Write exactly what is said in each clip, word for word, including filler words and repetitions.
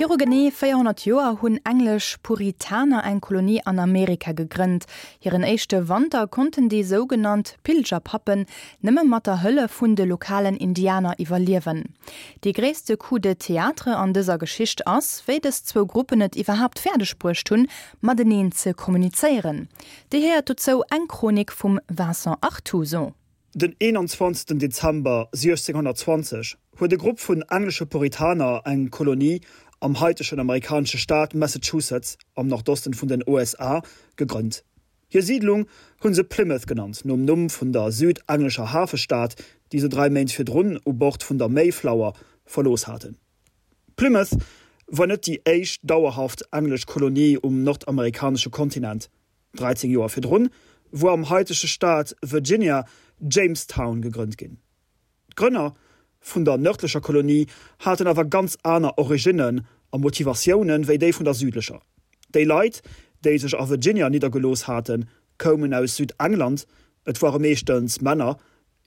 Viru genee véierhonnert Joer hunn englesch Puritaner eng Kolonie an Amerika gegrënnt. Hiren éischte Wanter konnten déi sougenannt Pilgerpappen nëmme mat der Hëllef vun de lokalen Indianer iwwerliewen. Dee gréisste Coup de théâtre an dëser Geschicht ass, wéi dës zwou Gruppen et iwwerhaapt fäerdeg bruecht hunn, mateneen ze kommunizéieren. Dir héiert dozou eng Chronik vum Vincent Artuso. Den eenanzwanzegsten Dezember siechzénghonnertzwanzeg huet e Grupp vun englesche Puritaner eng Kolonie am haitegen amerikanesche Staat Massachusetts am Nordosten vun den U S A gegrënnt. Hir Siidlung hu se Plymouth genannt, nom Numm vun der südenglescher Hafestad, déi se dräi Méint virdrun u Bord vun der Mayflower verlooss haten. Plymouth war net déi éischt dauerhaft englesch Kolonie um nordamerikanesche Kontinent. dräizéng Joer virdrun war am haitege Staat Virginia Jamestown gegrënnt ginn. D'Grënner vun der nërdlecher Kolonie haten awer ganz aner Originnen a Motivatioune wéi déi vun der südlecher. Déi Leit, déi sech a Virginia niddergelooss haten, koumen aus Südengland, et ware meeschtens Männer,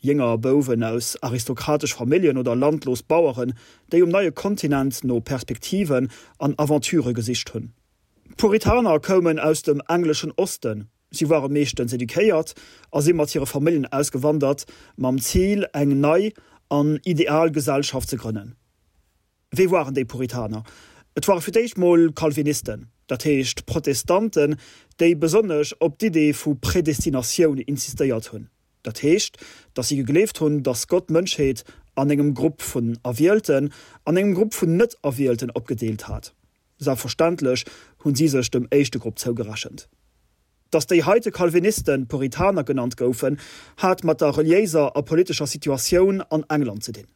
jénger Bouwen aus aristokratesch Familljen oder landlos Baueren, déi um neie Kontinent no Perspektiven an Aventurë gesicht hunn. D'Puritaner koumen aus dem engleschen Osten, si ware meeschtens eduquéiert a si mat hire Familljen ausgewandert, mam Zil, eng nei an ideal Gesellschaft ze grënnen. Wie waren déi Puritaner? Et ware fir d'éischt mol Calvinisten, dat heescht Protestanten, déi besonnesch op d'Idee vu Predestinatioun insistéiert hunn. Dat heescht, datt si gegleeft hunn, datt Gott d'Mënschheet an engem Grupp vun Erwielten an engem Grupp vun Net-Erwielten opgedeelt hat. Selbstverständlech hunn si sech dem éischte Grupp zougerechent. Datt déi heite Calvinisten Puritaner genannt goufen, hat mat der reliéiser a politescher Situatioun an England ze dinn.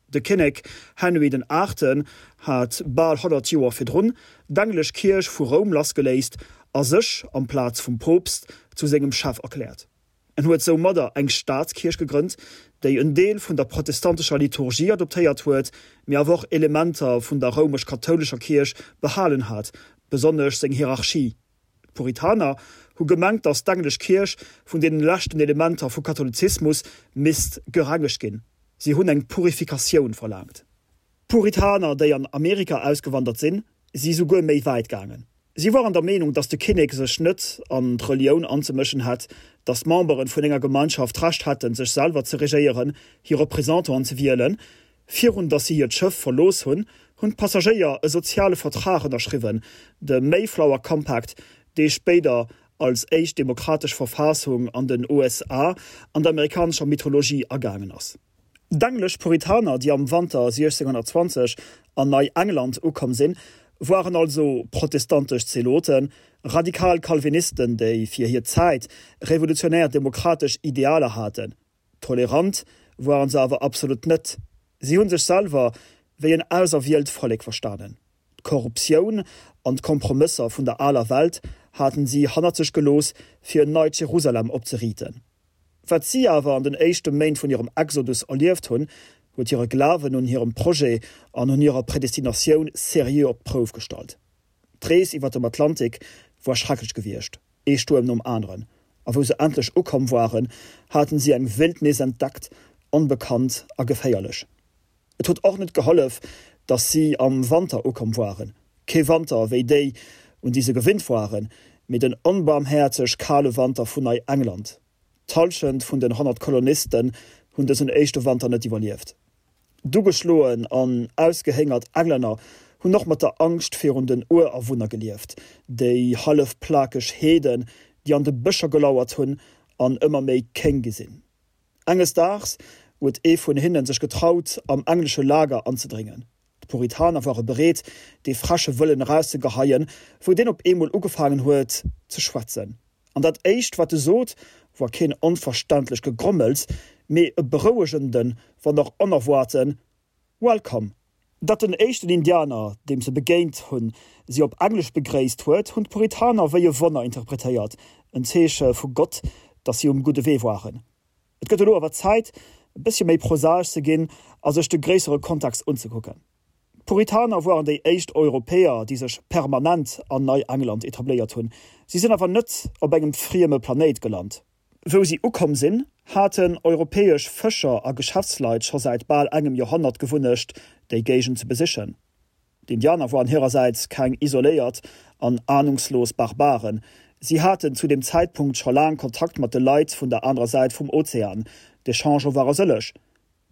De Kinnek Henry den Aachten hat bal honnert Joer virdrun d'englesch Kierch vu Roum lassgeléist a sech, amplaz vum Poopst, zu sengem Chef erkläert. En huet soumadder eng Staatskierch gegrënnt, déi en Deel vun der protestantescher Liturgie adoptéiert huet, mee awer och Elementer vun der roumesch-kathoulescher Kierch behalen hat, besonnesch seng Hierarchie. D'Puritaner hu gemengt, datt d'englesch Kierch vun deene leschten Elementer vu Katholizismus misst gerengegt ginn. Si hunn eng Purifikatioun verlaangt. D'Puritaner, déi an Amerika ausgewandert sinn, si souguer méi wäit gaangen. Si waren der Meenung, datt de Kinnek sech net an d'Relioun anzemëschen hätt, datt d'Membere vun enger Gemeinschaft d'Recht hätten, sech selwer ze regéieren, hir Représentanten ze wielen. Virun datt si hiert Schëff verlooss hunn, hunn d'Passagéier e soziale Vertrag ënnerschriwwen, de Mayflower Compact, dee spéider als éischt demokratesch Verfassung an den U S A an der amerikanescher Mythologie agaangen ass. D'englesch Puritaner, déi am Wanter siechzénghonnertzwanzeg an Nei-England ukomm sinn, waren also protestantesch Zeloten, radikal Calvinisten, déi fir hir Zäit revolutionär demokratesch Idealer haten. Tolerant waren se awer absolut net. Si hu sech selwer wéi en auserwielt Vollek verstanen. D'Korruptioun an d'Kompromësser vun der aler Welt haten si hannert sech gelooss, fir en neit Jerusalem opzeriiten. Wat si awer an den éischte Méint vun hirem Exodus erlieft hunn, huet hire Glawen un hirem Projet an un hirer Predestinatioun seriö op d'Prouf gestallt. D'Rees iwwer dem Atlantik war schrecklech gewiescht, ee Stuerm nom aneren, a wou se endlech ukomm waren, haten si eng Wildnis entdeckt, onbekannt a geféierlech. Et huet och net gehollef, datt si am Wanter ukomm waren, kee Wanter wéi déi, un déi se gewinnt waren, mee den onbaarmhäerzeg kale Wanter vun Nei-England. D'Hallschent vun den honnert Kolonisten hunn dësen éischte Wanter net iwwerlieft. D'ugeschloen an ausgehéngert Englänner hunn och mat der Angscht virun den Urawunner gelieft, déi hallef plakeg Heeden, déi an de Bëscher gelauert hunn an ëmmer méi kéng gi sinn. Enges Daags huet ee vun hinnen sech getraut, am englesche Lager anzedréngen. D'Puritaner ware bereet, dee freche Wëllen erauszegeheien, wou deen op eemol ugefaangen huet ze schwätzen. An dat éischt, wat e sot, war keen onverständlecht Gegrommels, mee e berouegenden, wann och onerwaarten Welcome! Datt den éischten Indianer, deem se begéint hunn, si op Englesch begréisst huet, hunn d'Puritaner wéi e Wonner interpretéiert, en Zeeche vu Gott, datt si um gudde Wee waren. Et gëtt elo awer Zäit, e bëssche méi prosaesch ze ginn a sech de gréissere Kontext unzekucken. D'Puritaner waren déi éischt Europäer, déi sech permanent an Nei-England etabléiert hunn. Si sinn awer net op engem frieme Planéit gelant. Wou si ukomm sinn, haten europäesch Fëscher a Geschäftsleit scho säit bal engem Joerhonnert d'Gewunnecht, déi Géigend ze besichen. D'Indianer waren hirersäits keng isoléiert an anungslos Barbaren. Si haten zu dem Zäitpunkt scho laang Kontakt mat de Leit vun der anerer Säit vum Ozean. D'Echange ware sëlleg.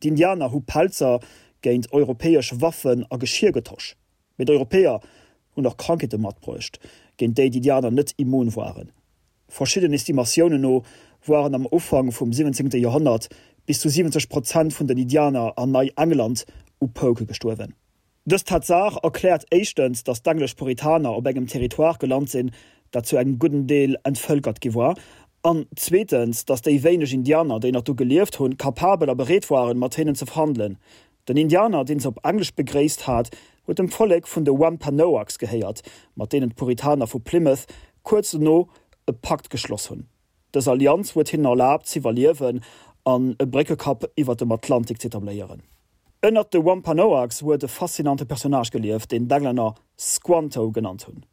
D'Indianer hu Pelzer géint europäesch Waffen a Geschir getosch. Mee d'Europäer hunn och Krankheete matbruecht, géint déi d'Indianer net immun waren. Verschidden Estimatiounen no waren am Ufank vum siwwenzéngte Joerhonnert bis zu siwwenzeg Prozent vun den Indianer an Nei-England u Pouke gestuerwen. Dës Tatsaach erkläert éischtens, datt d'englesch Puritaner op engem Territoire gelant sinn, dat zu engem gudden Deel entvëlkert gi war, an zweetens, datt déi wéineg Indianer, déi nach do gelieft hunn, kapabel a bereet waren, mat hinnen ze verhandelen. Den Indianer, deen se op Englesch begréisst hat, huet dem Vollek vun de Wampanoags gehéiert, mat deenen d'Puritaner vu Plymouth kuerz dono e Pakt geschloss hunn. Dës Allianz huet hinnen erlaabt z'iwwerliewen an e Bréckekapp iwwer dem Atlantik z'etabléieren. Ënnert de Wampanoags huet e faszinante Personnage gelieft, deen d'Englänner Squanto genannt hunn.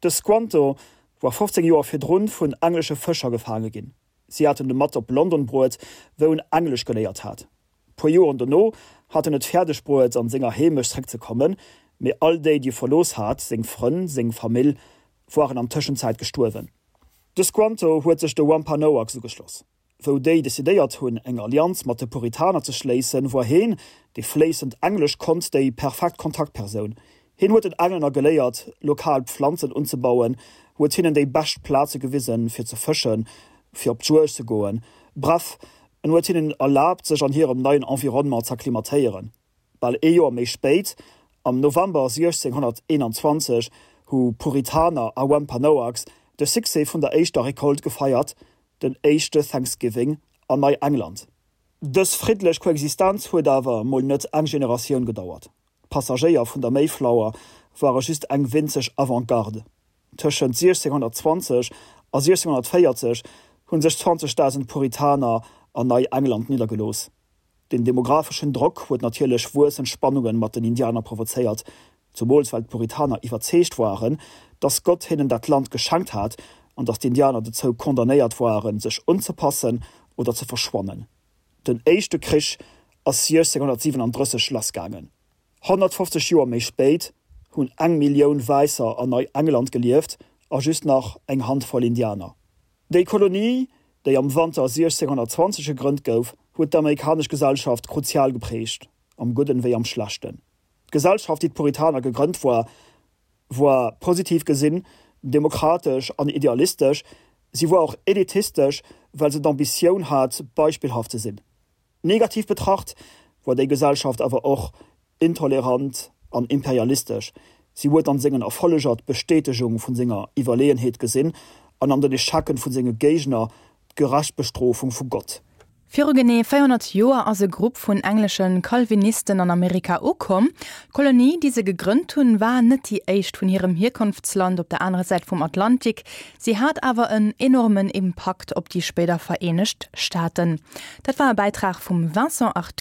De Squanto war fofzéng Joer virdrun vun englesche Fëscher gefaange ginn. Si haten e mat op London bruet, wou en Englesch geléiert hat. Puer Joren dono hat en et fäerdeg bruet, an senger Heemecht zréckzekommen, mee all déi, déi e verlooss hat, seng Frënn, seng Famill, waren an Tëschenzäit gestuerwen. De Squanto huet sech de Wampanoags ugeschloss. Wou déi decidéiert hunn, eng Allianz mat de Puritaner ze schléissen, war heen, dee fléissend Englesch konnt, déi perfekt Kontaktpersoun. Heen huet den Englänner geléiert, lokal Pflanzen unzebauen, huet hinnen déi bescht Plaze gewisen, fir ze fëschen, fir op d'Juegd ze goen, bref, en huet hinnen erlaabt, sech an hirem neien Environnement z'akklimatéieren. Bal ee Joer méi spéit, am November siechzénghonnerteenanzwanzeg, hu Puritaner a Wampanoags de Succès vun der éischter Recolte gefeiert, den éischte Thanksgiving an Nei-England. Dës friddlech Koexistenz huet awer mol net eng Generatioun gedauert. D'Passagéier vun der Mayflower ware just eng winzeg Avant-garde. Tëschent siechzénghonnertzwanzeg a siechzénghonnertvéierzeg hu sech zwanzegdausend Puritaner an Nei-England niddergelooss. Den demographeschen Drock huet natierlech wuessend Spannunge mat den Indianer provozéiert, zumools well d'Puritaner iwwerzeegt waren, dass Gott hinnen dat Land geschenkt hat an dass d'Indianer dozou condamnéiert waren, sech unzepassen oder ze verschwannen. Den éischte Krich ass siechzénghonnertsiwenandrësseg lassgaangen. Honnertfofzeg Joer méi spéit hunn eng Millioun Wäisser an Nei-England gelieft a just nach eng Handvoll Indianer. Déi Kolonie, déi am Wanter siechzénghonnertzwanzeg gegrënnt gouf, huet d'amerikanesch Gesellschaft kruzial geprägt, am Gudden wéi am Schlechten. D'Gesellschaft, déi d'Puritaner gegrënnt war, war positiv gesinn demokratesch an idealistesch, si war och elitistesch, well se d'Ambitioun hat, beispillhaft ze sinn. Negativ betracht war déi Gesellschaft awer och intolerant an imperialistesch, si huet an sengen Erfolleger d'Bestätegung vun senger Iwwerleeënheet gesinn an an den Echecken vu senge Géigner d'gerecht Bestrofung vu Gott. Viru genee véierhonnert Joer ass e Grupp vun englesche Calvinisten an Amerika ukomm. D'Kolonie, déi se gegrënnt hunn, war net déi éischt vun hirem Hierkonftsland op der anerer Säit vum Atlantik. Si hat awer en enormen Impakt op déi spéider Vereenegt Staaten. Dat war e Bäitrag vum Vincent Artuso.